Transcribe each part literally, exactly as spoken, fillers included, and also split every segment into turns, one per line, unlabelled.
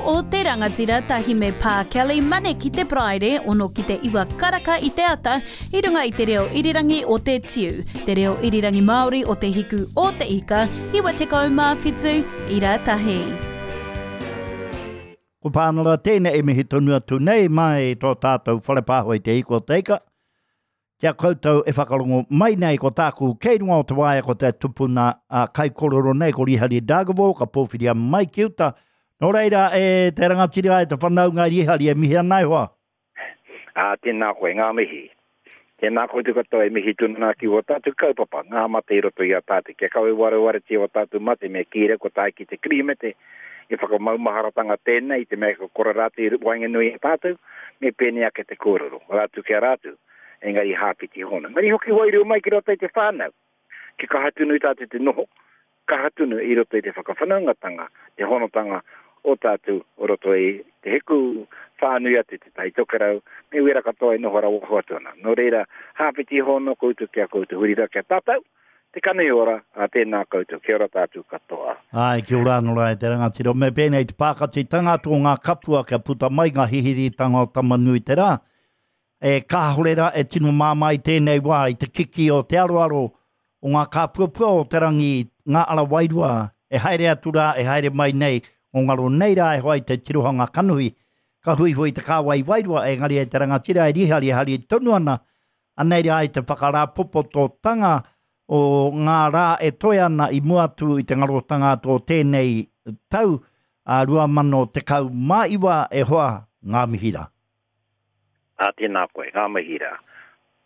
o te Rangatira tahi me Pā Kelly Mane ki te Paraire, ono ki te iwa karaka i te ata, i runga i te reo irirangi o te Tiu, te reo irirangi Māori o te hiku o te ika, iwa tekau mā whitu, ira tahi.
Ko pānara tēnei e mihi tonu atu nei mai tō tātou whare pāho i te hiku o te ika. Kia koutou e whakarongo mai nei ko tāku kei runga o te waea ko te tupuna a kaikorero nei ko Rihari Dargaville ka pōwhiria mai ki uta. Nō reira e te rangatira e te whanaunga Rihari e mihi ana e hoa.
Ā, tēnā koe, ngā mihi. Tēnā koutou katoa e mihi tonu nā ki o tātou kaupapa, ngā mate i roto i a tātou. Kia kawe warewaretia o tātou mate me kīre ko tae ki te Kirihimete, i whakamaumaharatanga tēnei, i te mea ka kore rātou i waenganui i a tātou, me pēnei ake te kōrero, rātou ki a rātou, engari hāpiti hona. Engari hoki wairua mai ki roto i te whānau, ki kaha tonu i tātou te noho, kaha tonu i roto i te whakawhanaungatanga, te honotanga o tātou o roto i te hiku whānui atu te Tai Tokerau, me wera katoa e noho rawa atu ana. Nō reira, hāpiti hono koutou ki a koutou, huri rā ki a tātou, te kanohi ora, a tēnā koutou, kia ora tātou katoa.
Ai, kia ora anō rā e te rangatira. Me pēnei te pākatitanga atu o ngā kapua kia puta mai ngā hihiritanga o Tamanui te rā. E kāhore rā e tino māmā i tēnei wā i te kiki o te aroaro o ngā kāpuapua o te rangi, ngā ara wairua, e haere atu rā, e haere mai nei, o ngaro nei rā e hoa i te tirohanga kanohi. Ka huihui te kāwai wairua, engari e te rangatira e rihari, e hari tonu ana, anei rā i te whakarāpopototanga o ngā rā e toe ana i mua atu i te ngarotanga atu o tēnei tau, a rua mano tekau mā iwa e hoa ngā mihi rā.
Ā, tēnā koe, ngā mihi rā.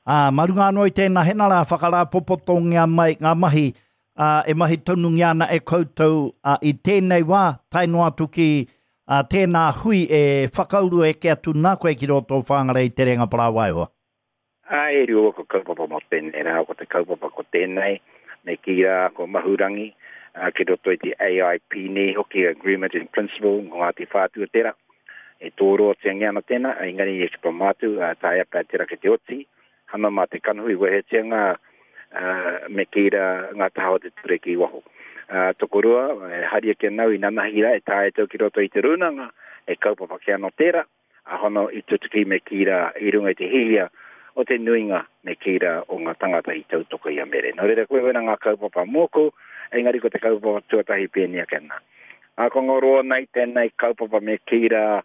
Ā, mā runga anō i tēnā hena rā whakarāpopotongia mai ngā mahi, ā, e mahi tonungia ana e koutou, ā, i tēnei wā, tae noa atu ki, ā, tēnā hui e whakauru eke atu nā koe ki roto o Whangarei te Renga Parāwaewa.
Ā, e rua ko kaupapa mō tēnei rā, ko te kaupapa ko tēnei, me kī rā ko Mahurangi, ā, ki roto i te A I P nei hoki, Agreement in Principle, ngō Ngāti Whātua tērā. E tōroatia ana tēnā, engari e ki tō mātou, ā, taea pea tērā ki te oti, hana mā te kanohi wehetia ngā, ā, me kī rā ngā taha o te ture ki waho. Ā, tokorua, e haria kia nau i nanahi rā, e taea tau ki roto i te rūnanga, e kaupapa ki anō tērā, a hono i tutuki me kī rā i runga i te hihia o te nuinga me kī rā o ngā tangata i tautoko i a Mere. Nō reira, koe wena ngā kaupapa mōku, engari ko te kaupapa tuatahi pēnei ake ana. Ā, ko ngā roa nei tēnei kaupapa me kī rā,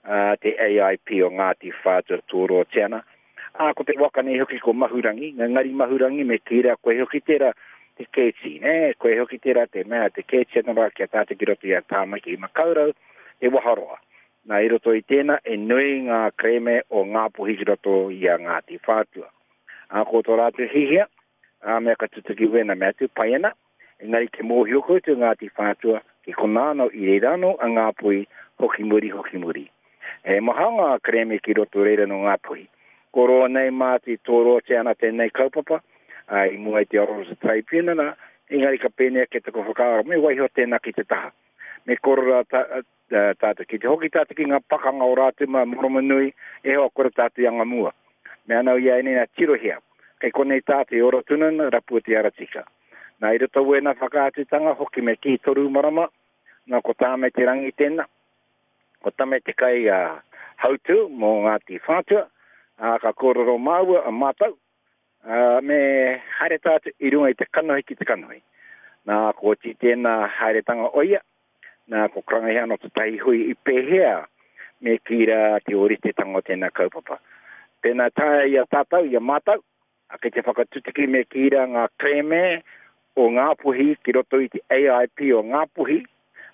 ā, te A I P o Ngāti Whātua Tōroa Tiana. Ā, ko te waka nei hoki ko Mahurangi, ngari Mahurangi me kī rā koe hoki tērā te kēti, nē? Koe hoki tērā te mea, te kēti anō rā kia tātou ki roto i a Tāmaki i Makaurau, te waharoa. Nā, i roto i tēnā, e nui ngā kerēme o Ngāpuhi ki roto i a Ngāti Whātua. Ā, ko tō rātou hihia, ā, mea ka tutuki wena mea atu, pai ana, engari te mōhio koutou Ngāti Whātua, ki konā anō i reira anō a Ngāpuhi, hoki muri, hoki muri. E maha ngā kerēme ki roto reira no Ngāpuhi. Ko roa nei māti tōroatia ana tēnei kaupapa, ā, i mua i te oro o te tribunal, engari ka pēnei ake taku whakaaro, me waiho tēnā ki te taha. Me korora ta, ā, tātou ki te hoki tātou ki ngā pakanga o rātou mā Moromonui, e hoa kore tātou i anga mua. Me anau ia ene nā tirohia, kei konei tātou i ora tunana, rapua te ara tika. Nā i roto wēnā whakaatutanga, hoki me kī toru marama, nā ko tāme te rangi tēnā, ko tame te kai, ā, hautu mō Ngāti Whātua, ā, ka kōrero māua a mātou, ā, me haere tātou i runga i te kanohi ki te kanohi. Nā, ko oti tēnā haeretanga o ia, nā, ko karangahia anō te tahi hui i pēhea me kī rā te oritetanga o tēnā kaupapa. Tēnā taea i a tātou, i a mātou, a kei te whakatutuki me kī rā ngā kerēme o Ngāpuhi ki roto i te A I P o Ngāpuhi,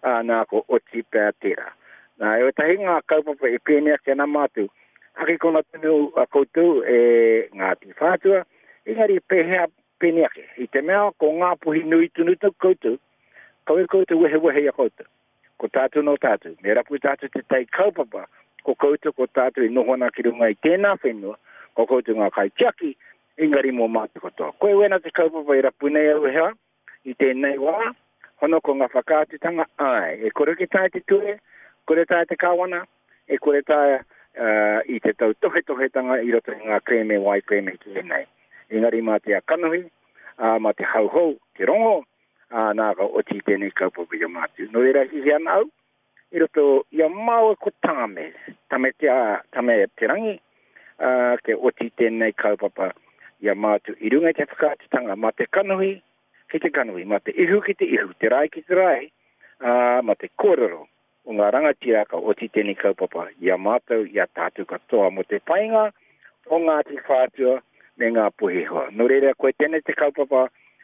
ā, nā, ko oti pea tērā. Nā, e wetahi ngā kaupapa e pēnei ake ana mātou, ake kona tonu a koutou e Ngāti Whātua, engari pēhea pēnei ake. I te mea ko Ngāpuhi nui tonu tau koutou, kawe koutou wehewehe i a koutou. Ko tātou no tātou, me rapu tātou te tai kaupapa, ko koutou ko tātou i noho ana ki runga i tēnā whenua, ko koutou ngā kaitiaki, engari mō mātou katoa. Koe wena te kaupapa i rapu nei au hea, i tēnei wā, hono ko ngā whakaatutanga, ai, e kore ke tae te ture, kore tae te kāwana, e kore tae, uh, i te tautohetohetanga i roto i ngā kerēme wai kerēme ki ēnei. Engari mā te kanohi, ā, mā te hauhou, te rongo, ā, nā ka oti tēnei kaupapa i a mātou. Nō reira hihi ana au, i roto i a māua ko Tame, Tame te, a, Tame te rangi, uh, ke oti tēnei kaupapa i a mātou i runga i te whakaatutanga, mā te kanohi ki te kanohi, mā te ihu ki te ihu, te rai ki te rai, uh, mā te kōrero o ngā rangatira ka oti tēnei kaupapa i a mātou, i a tātou katoa mō te painga o Ngāti Whātua me ngā puhihoa. Nō reira, koe tēnei te kaupapa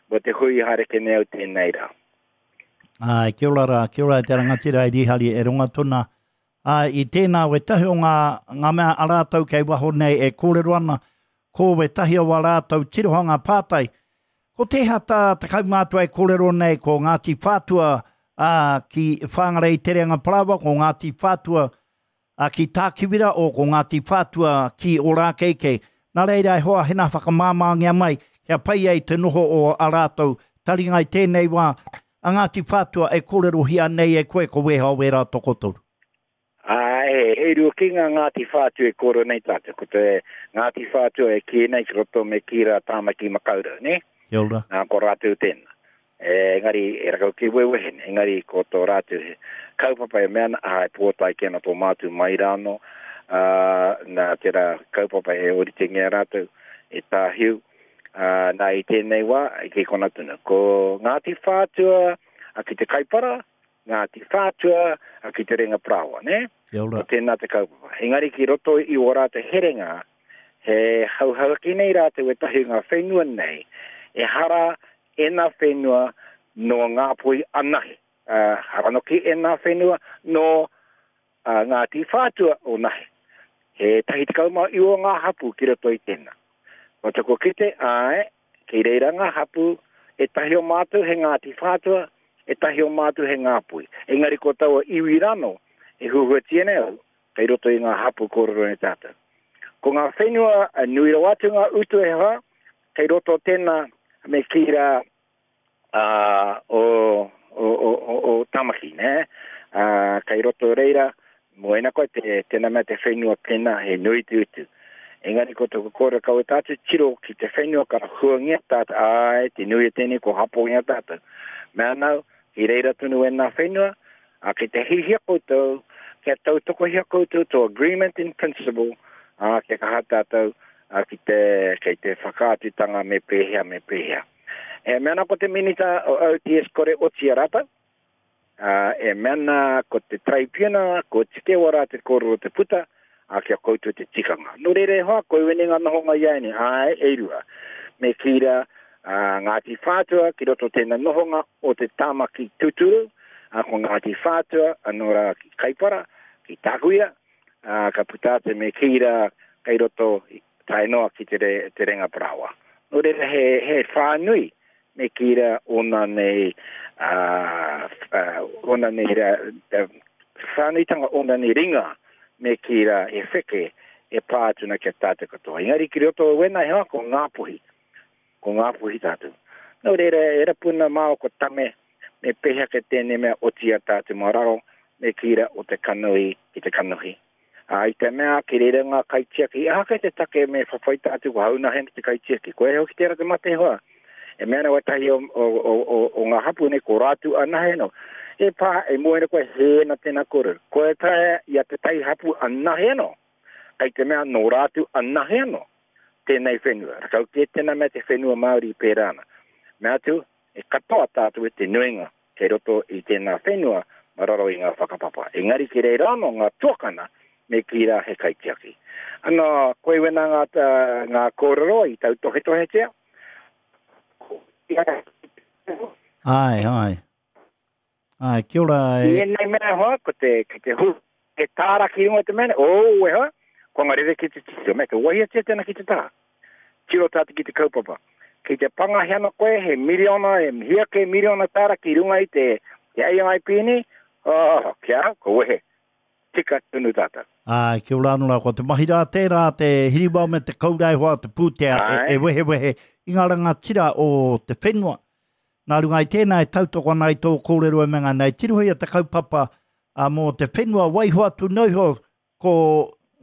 mō te hui haere ke nei au tēnei rā.
Ai, kia ora rā, kia ora e te rangatira i Rihari e ronga tona. Ai, i tēnā wetahi o ngā, ngā mea a rātou kei waho nei e kōrero ana, ko wetahi o a rātou tirohanga pātai. Ko tēhea tā te kaumātua e kōrero nei, ko Ngāti Whātua ā, ki Whangarei Te Reanga Parāoa, ko Ngāti Whātua ā, ki Tākiwira, o ko Ngāti Whātua ki Ōrākeikei. Nā reira e hoa hena whakamāmāngia mai, kia pai ai te noho o a rātou taringa i tēnei wā, a Ngāti Whātua e kōrerohia nei e koe ko weha o wērā tokotoru.
Ai, e rua ki ngā Ngāti Whātua e kōrero nei tātou. Ko te Ngāti Whātua e kī nei ki roto me kī rā Tāmaki Makaurau, ne?
Kia ora.
Nā, ko rātou tēnā. E, engari, e rakau ki wewehe, engari ko tō rātou he kaupapa e mea ana, ai, pōtai ki ana tō mātou mai rāno, uh, nā tērā kaupapa e oritengia rātou, e tāhiu, uh, nā i tēnei wā, ki kona tunu. Ko Ngāti Whātua a ki te Kaipara, Ngāti Whātua a ki te Renga Parāoa, ne?
Kia ora.
Ko tēnā te kaupapa. Engari ki roto i o rātou herenga, he hauhauaki nei rātou e tahi ngā whenua nei, e hara e nā whenua no Ngāpuhi anahe. Uh, hara noki e nā whenua no uh, Ngāti Whātua o nahe. He tahi tekau mā iwa ngā hapu ki roto i tēnā. Ko taku kite, ai, ki reira ngā hapu, e tahi o mātou he Ngāti Whātua, e tahi o mātou he Ngāpuhi. Engari ko taua iwi rano, e huhuatia nei au, kei roto i ngā hapu kōrero nei tātou. Ko ngā whenua, nui rawa atu ngā utu e hoa, kei roto tēnā me kī rā uh, o, o, o, o, o Tamaki, ne? Uh, kei roto reira, moena koe te, tēnā mea te whenua pēnā he nui te utu. Engari ko tōku kōrero kau e tātou tiro ki te whenua ka huangia tātou, ai, te nui e tēnei ko hapongia tātou. Mea nau, i reira tonu e nā whenua, a ki te hihia koutou, kia tautokohia koutou tō agreement in principle, a kia kaha tātou a ki te, kei te whakaatutanga me pēhea, me pēhea. E mea ana ko te minita o O T S kore oti a rātou, uh, e mea ana ko te traipiuna, ko tike o rātou kōrero te puta, a kia koutou te tikanga. Nō reira e hoa, koe wene ngā nohonga i aini, ai, e rua. Me kī rā, uh, Ngāti Whātua ki roto tēnā nohonga o te Tāmaki tūturu, uh, ko Ngāti Whātua, anō rā ki Kaipara, ki Tākuira, uh, ka puta te me kī rā kei roto tae noa ki te, re, te Renga Parāoa. Nō reira he, he whānui me kī rā ona nei, uh, uh, ona nei rā, uh, whānuitanga ona nei ringa me kī rā e wheke e pā atu na kia tātou katoa. Engari ki roto o wena he hoa ko Ngāpuhi, ko Ngāpuhi tātou. Nō reira e rapuna māo ko Tame me pēhea ke tēnei mea oti a tātou mā raro me kī rā o te kanohi ki te kanohi. A i te mea ki reira ngā kaitiaki, aha kei te take me whawhai tātou ko hauna hena te kaitiaki. Koe hoki tērā te mate hoa. E mea ana wetahi o, o, o, o, o ngā hapu nei ko rātou anahe no. E pā, e moena koe hēna tēnā kōrero. Koe taea i a te tai hapu anahe no. Kei te mea nō rātou anahe no tēnei whenua. Rakau kē tēnā mea te whenua Māori pērā ana. Mea atu, e katoa tātou e te nuinga kei roto i tēnā whenua ma raro i ngā whakapapa. Engari ki reira anō ngā tuakana me kī rā he kaitiaki. Ano, koe wena ngā, ngā kōrero i tautohetohetia.
Ai, ai. Ai, kia ora e.
I ēnei mea hoa, ko te, ki te hu, he tāra ki runga te mea, oh, e hoa, ko ngā rere ki te titiro, me te wahiatia tēnā ki te taha. Tiro tātou ki te kaupapa. Ki te pangahi ana koe, he miriona, he hia ke miriona tāra ki runga i te, te A I P ni, oh, kia, ko wehe. Tika tunu tātou.
Ai, kia ora anō rā, ko te mahi rā tērā, te hiriwao me te kaurau hoa, te pūtea, e, e wehewehe i ngā rangatira o te whenua. Nā runga i tēnā e tautoko ana i tō kōrero e mea nei, tirohia te kaupapa a, mō te whenua waiho atu noiho ko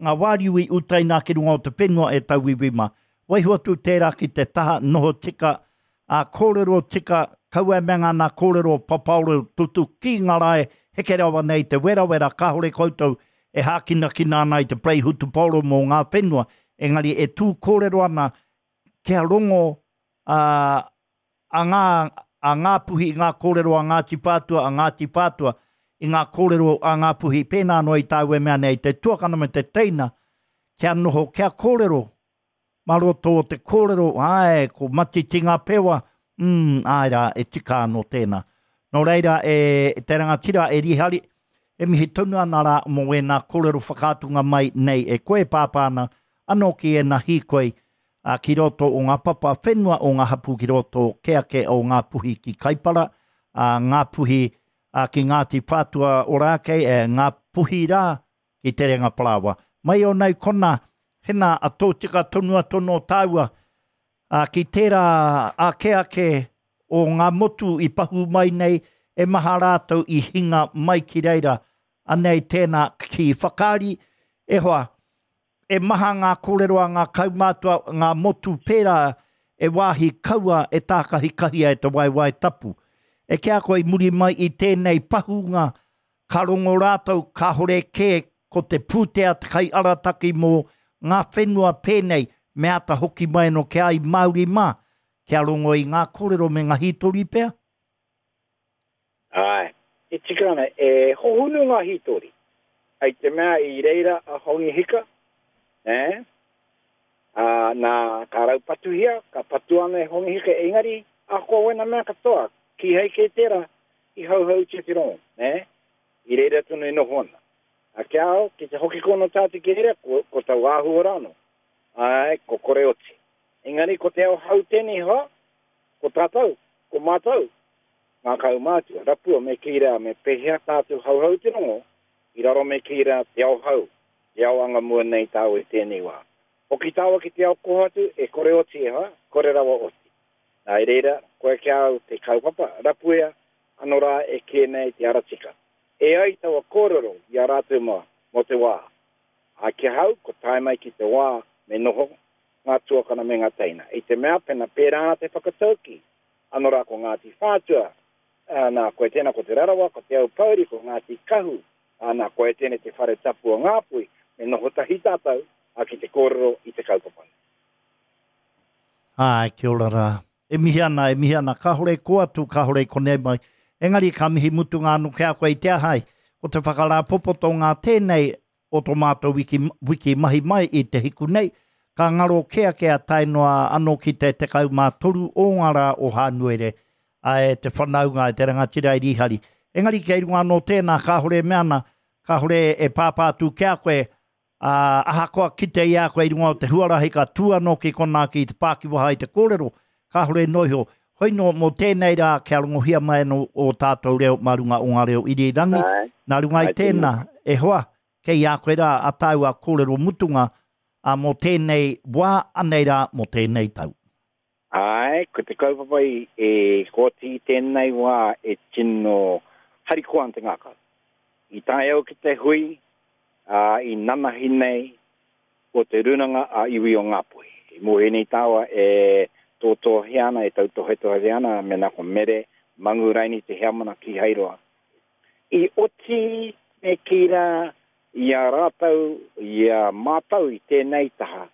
ngā wāriu i utaina ki runga o te whenua e tauiwi mā. Waiho atu tērā ki te taha noho tika, a kōrero tika, Kaua e mea ngana kōrero papaoro tutu ki ngā rae, heke rawa nei te werawera, kāhore koutou e hākinakina ana i te parei hutupōro mō ngā whenua, engari e tū kōrero ana kia rongo uh, a ngā, a ngā puhi i ngā kōrero a Ngāti Whātua, a Ngāti Whātua, i ngā kōrero a ngā puhi, pēnā noa i tāu e mea nei, te tuakana me te teina, kia noho, kia kōrero, mā roto o te kōrero, āe, ko Matiti ngā pewa, mm, āe rā, e tika anō tēnā. Nō reira, e te rangatira, e Rihari, e mihi tonu ana rā mō ēnā kōrero whakaatunga mai nei e koe pāpā ana, anō ki ēnā hīkoi, a, ki roto o ngā papa whenua o ngā hapū ki roto keake o ngā puhi ki Kaipara, a, ngā puhi a, ki Ngāti Whātua Ōrākei, e, ngā puhi rā ki Te Renga Parāoa. Mai o nei kona, hena a tōtika tonu a tono tāua, a, ki tērā ake ake o ngā motu i pahu mai nei, e maha rātou i hinga mai ki reira, anei tēnā ki whakaari, e hoa, e maha ngā kōrero a ngā kaumātua, ngā motu pērā e wāhi kaua e tākahikahia e te waewae tapu. E kia koe i muri mai i tēnei pahunga, ka rongo rātou kāhore kē ko te pūtea te kai arataki mō ngā whenua pēnei, me ata hoki mai no ke ai Māori mā, kia rongo i ngā kōrero me ngā hītori pea?
Ai, e tika ana, e hohunu ngā hītori. Ai te mea i reira a Hongi Hika, eh? A, nā, ka raupatuhia, ka patu ana e Hongi Hika, engari, a koa wena mea katoa, ki hei ke tērā, i hauhau te te rongo, eh? I reira tonu e noho ana. A kia au, ki te hoki kono tātou ki reira, ko, ko tau āhua rāno. Ai, ko kore oti. Engari, ko te ao hau tēnei hoa, ko tātou, ko mātou, ngā kaumātua, rapua me kīrā, me pehea tātou hauhau te rongo, i raro me kīrā te ao hau, te ao anga mua nei tāu e tēnei wā. Hoki tāua ki te ao kohatu, e kore oti e hoa, kore rawa oti. Nā i reira, koe kia au te kaupapa, rapuea, anō rā e kē nei te aratika. E ai taua kōrero i a rātou mā, mō te wā. A ki hau, ko tae mai ki te wā, me noho, ngā tuakana me ngā teina. I te mea, pena pērā ana te whakatauki, anō rā ko Ngāti Whātua, nā, koe tēnā ko Te Rarawa, ko Te Aupōuri, ko Ngāti Kahu, nā, koe tēnei te whare tapu o Ngāpuhi, me noho tahi tātou, a ki te kōrero i te kaupapa nei.
Ai, kia ora rā. E mihi ana, e mihi ana, kāhore ko atu, kāhore konei mai. Engari ka mihi mutunga anō ki a koe i te ahai, ko te whakarāpopoto ngā tēnei o tō mātou wiki, wiki mahi mai i te hiku nei, ka ngaro kē ake a tae noa anō ki te tekau mā toru o ngā rā o Hānuere, a e te whanaunga e te rangatira i Rihari. Engari kei runga anō tēnā, kāhore e mea ana, kāhore e pāpā atu ki a koe, a, ahakoa kite i a koe i runga o te huarahi ka tū anō ki konā ki te pākiwaha i te kōrero, kāhore noa iho. Hoi nō, mō tēnei rā, kia rongohia mai anō o tātou reo mā runga o ngā reo irirangi. Nā runga i tēnā, e hoa, kei a koe rā a tāua kōrero mutunga, a mō tēnei wā, anei rā mō tēnei tau.
Ai, ko te kaupapa i e kōti i tēnei wā e tino harikoa ana te ngākau. I tae au ki te hui, a, i nanahi nei ko te runanga a iwi o Ngāpuhi. I mō ēnei tāua e tōtōhia ana, e tautohetohe ana, me nā ko Mere Manguraini te heamana ki Hairoa. I oti me kī rā i a rātou, i a mātou i tēnei taha,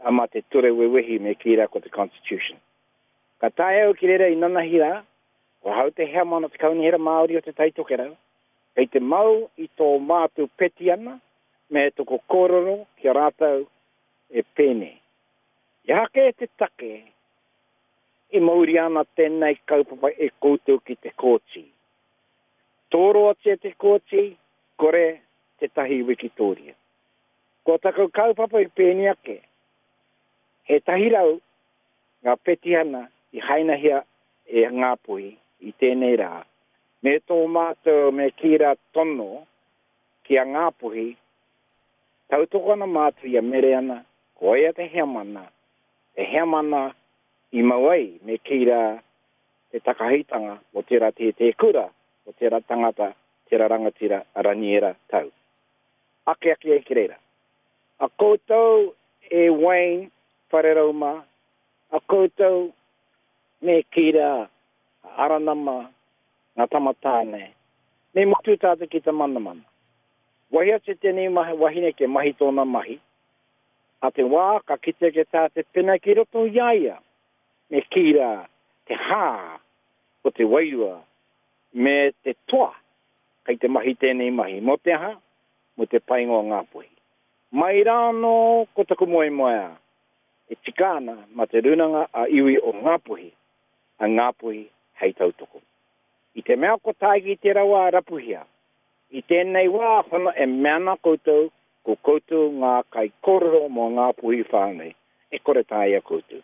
a mā te ture wewehi me kī rā ko te Constitution. Ka tae au ki reira i nanahi rā, ko hau te heamana te Kaunihera Māori o te Tai Tokerau, kei te mau i tō mātou petiana me toko kōrero ki a rātou e pēnei. I hake te take i mauri ana tēnei kaupapa e koutou ki te kōti. Tōroatia te kōti, kore tētahi wikitōria. Ko taku kaupapa i pēnei ake, he tahi rau ngā petihana i hainahia e Ngāpuhi i tēnei rā, me tō mātou me kī rā tono ki a Ngāpuhi, tautoko ana mātou i a Mereana, ko ia te heamana, te heamana i mau ai me kī rā te takahitanga o tērā tētē kura, o tērā tangata, tērā rangatira, a Raniera Tau. Ake ake e ki reira. A koutou e Wayne Wharerauma, a koutou me kī rā
Aranama, ngā tamatāne, me mutu tātou ki te manamana. Wahi atu tēnei mahi, wahine ke mahi tōna mahi, a te wā ka kite ke tā te pena ki roto i a ia, me kī rā te hā o te wairua me te toa kei te mahi tēnei mahi. Mō te aha? Mō te painga o Ngāpuhi. Mai rā anō ko taku moemoeā e tika ana mā te rūnanga a iwi o Ngāpuhi, a Ngāpuhi hei tautoko. I te mea ko tae ki tērā wā rapuhia, i tēnei wā hono e mea ana koutou ko koutou ngā kaikōrero mō Ngāpuhi whānui, e kore taea koutou.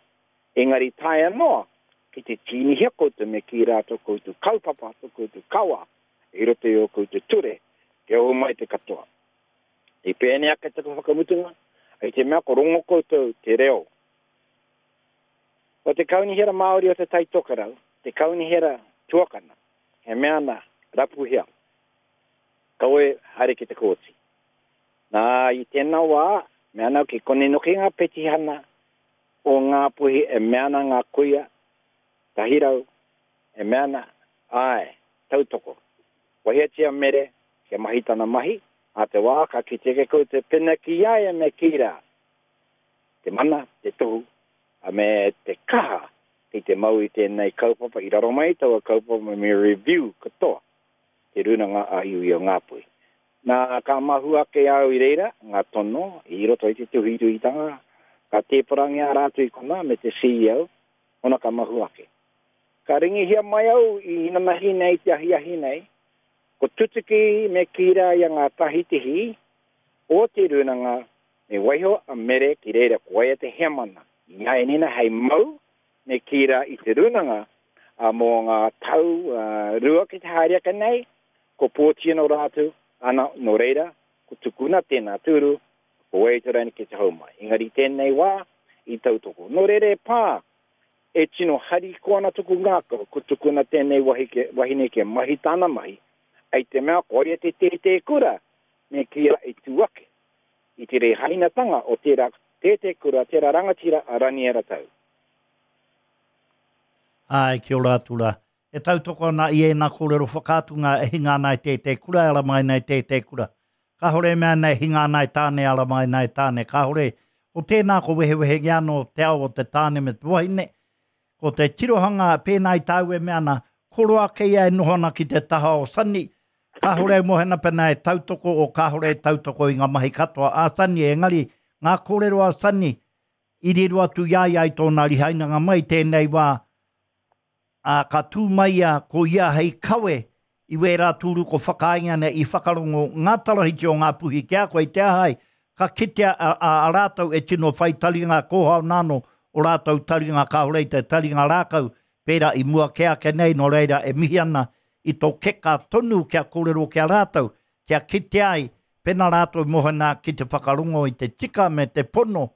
Engari taea noa ki te tīnihia koutou me kī rā tō koutou kaupapa, tō koutou kawa i roto i ō koutou ture, kia oho mai te katoa. I pēnei ake taku whakamutunga, i te mea ko rongo koutou te reo o te Kaunihera Māori o Te Tai Tokerau, te Kaunihera Tuakana, he mea ana, rapuhia, kaua e haere ki te kōti. Nā, i tēnā wā, mea ana ki konei noki ngā petihana o Ngāpuhi e mea ana ngā kuia, tahi rau, e mea ana, āe, tautoko. Wahiatia Mere kia mahi tana mahi, ā te wā ka kite ke koutou pena ki a ia me kī rā, te mana, te tohu, a me te kaha ki te mau i tēnei kaupapa, i raro mai taua kaupapa me review katoa te Rūnanga a Iwi o Ngāpuhi. Nā, ka mahu ake au i reira, ngā tono, i roto i te tuhituhitanga, ka tēparangia rātou i konā me te C E O, hona ka mahu ake. Ka ringihia mai au i inanahi nei, te ahiahi nei, ko tutuki me kī rā i a ngā tahitihi o te rūnanga me waiho a Mere ki reira ko ia te heamana. I a Enina hei mau me kī rā i te rūnanga a mō ngā tau uh, rua ki te haere ake nei, ko pōti anō rātou, ana nō reira, ko tukuna tēnā tūru, ko wai te raini ki te hou mai. Engari tēnei wā i tautoko. Nō reira e pā, e tino harikoa ana tuku ngākau, ko tukuna tēnei wahi ke, wahine ke mahi tāna mahi, ai te mea ko ia te tētē kura, me kī rā e tū ake i te rehainatanga o tērā tētē kura, tērā rangatira a Raniera Tau.
Ai, kia ora atu rā. E tautoko ana i ēnā kōrero whakaatunga e hinga ana i tētē kura, e ara mai nei tētē kura. Kāhore e mea nei hinga ana i tāne, ara mai nei tāne. Kāhore, ko tēnā ko wehewehengia anō te ao o te tāne me te wahine. Ko te tirohanga pēnā i tāu e mea ana, koro ake ia e noho ana ki te taha o Sunny. Kāhore e mohena pena e tautoko o kāhore e tautoko i ngā mahi katoa a Sunny, engari ngā kōrero a Sunny i riro atu i a ia i tōna rihainanga mai tēnei wā, ā, ka tū mai ia ko ia hei kawe i wērā tūru ko whakaainga nei i whakarongo ngā tarahiti o ngā puhi ki a koe i te aha ai, ka kitea a, a, a rātou e tino whai taringa kōhao nāno o rātou taringa kāhore i te taringa rākau pērā i mua kē ake nei, nō reira e mihi ana i tō keka tonu kia kōrero ki a rātou, kia kitea ai pena rātou mohana ki te whakarongo i te tika me te pono,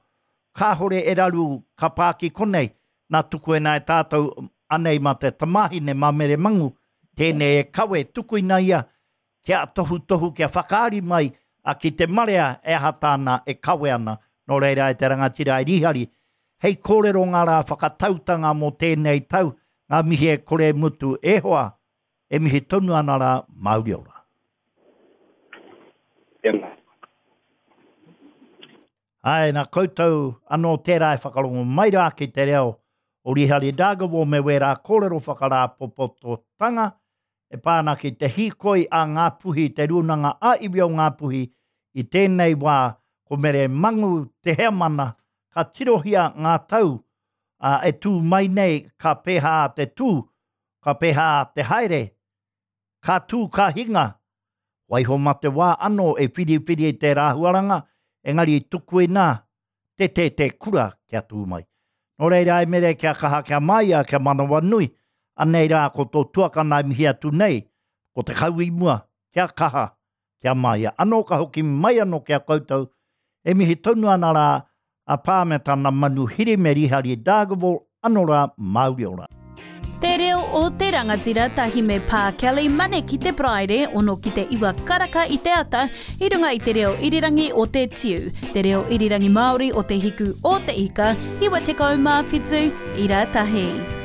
kāhore e raru ka pā ki konei, nā tuku e nā e tātou anei mā te tamāhine mā Mere Mangu, tēnei e kawe tukuina ia kia tohutohu, kia whakaari mai a ki te marea e aha tāna e kawe ana, nō reira e te rangatira e Rihari. Hei kōrero ngā rā whakatautanga mō tēnei tau, ngā mihi e kore mutu e hoa, e mihi tonu ana rā Māori ora.
Tēnā.
Ai, nā koutou anō tērā e whakarongo mai rā ki te reo o Rihari Dargaville me wērā kōrero whakarāpopototanga e pā ana ki te hīkoi a Ngāpuhi, te rūnanga a iwi o Ngāpuhi i tēnei wā ko Mere Mangu te heamana, ka tirohia ngā tau a, e tū mai nei ka pēhā te tū, ka pēhā te haere, ka tū ka hinga, waiho mā te wā anō e whiriwhiri i te rāhuaranga, engari tukuina te tētē kura kia tū mai. Nō reira e Mere kia kaha kia māia, kia manawa nui, anei rā ko tō tuakana e mihi atu nei, ko te kau i mua, kia kaha, kia māia. Anō ka hoki mai anō ki a koutou, e mihi tonu ana rā a pā me tana manu hiri me Rihari Dargaville, anō rā Māori ora.
Te reo o te rangatira tahi me Pā Kelly Mane ki te Paraire, ono ki te iwa karaka i te ata, i runga i te reo irirangi o te Tiu, te reo irirangi Māori o te hiku o te ika, iwa tekau mā whitu, ira tahi.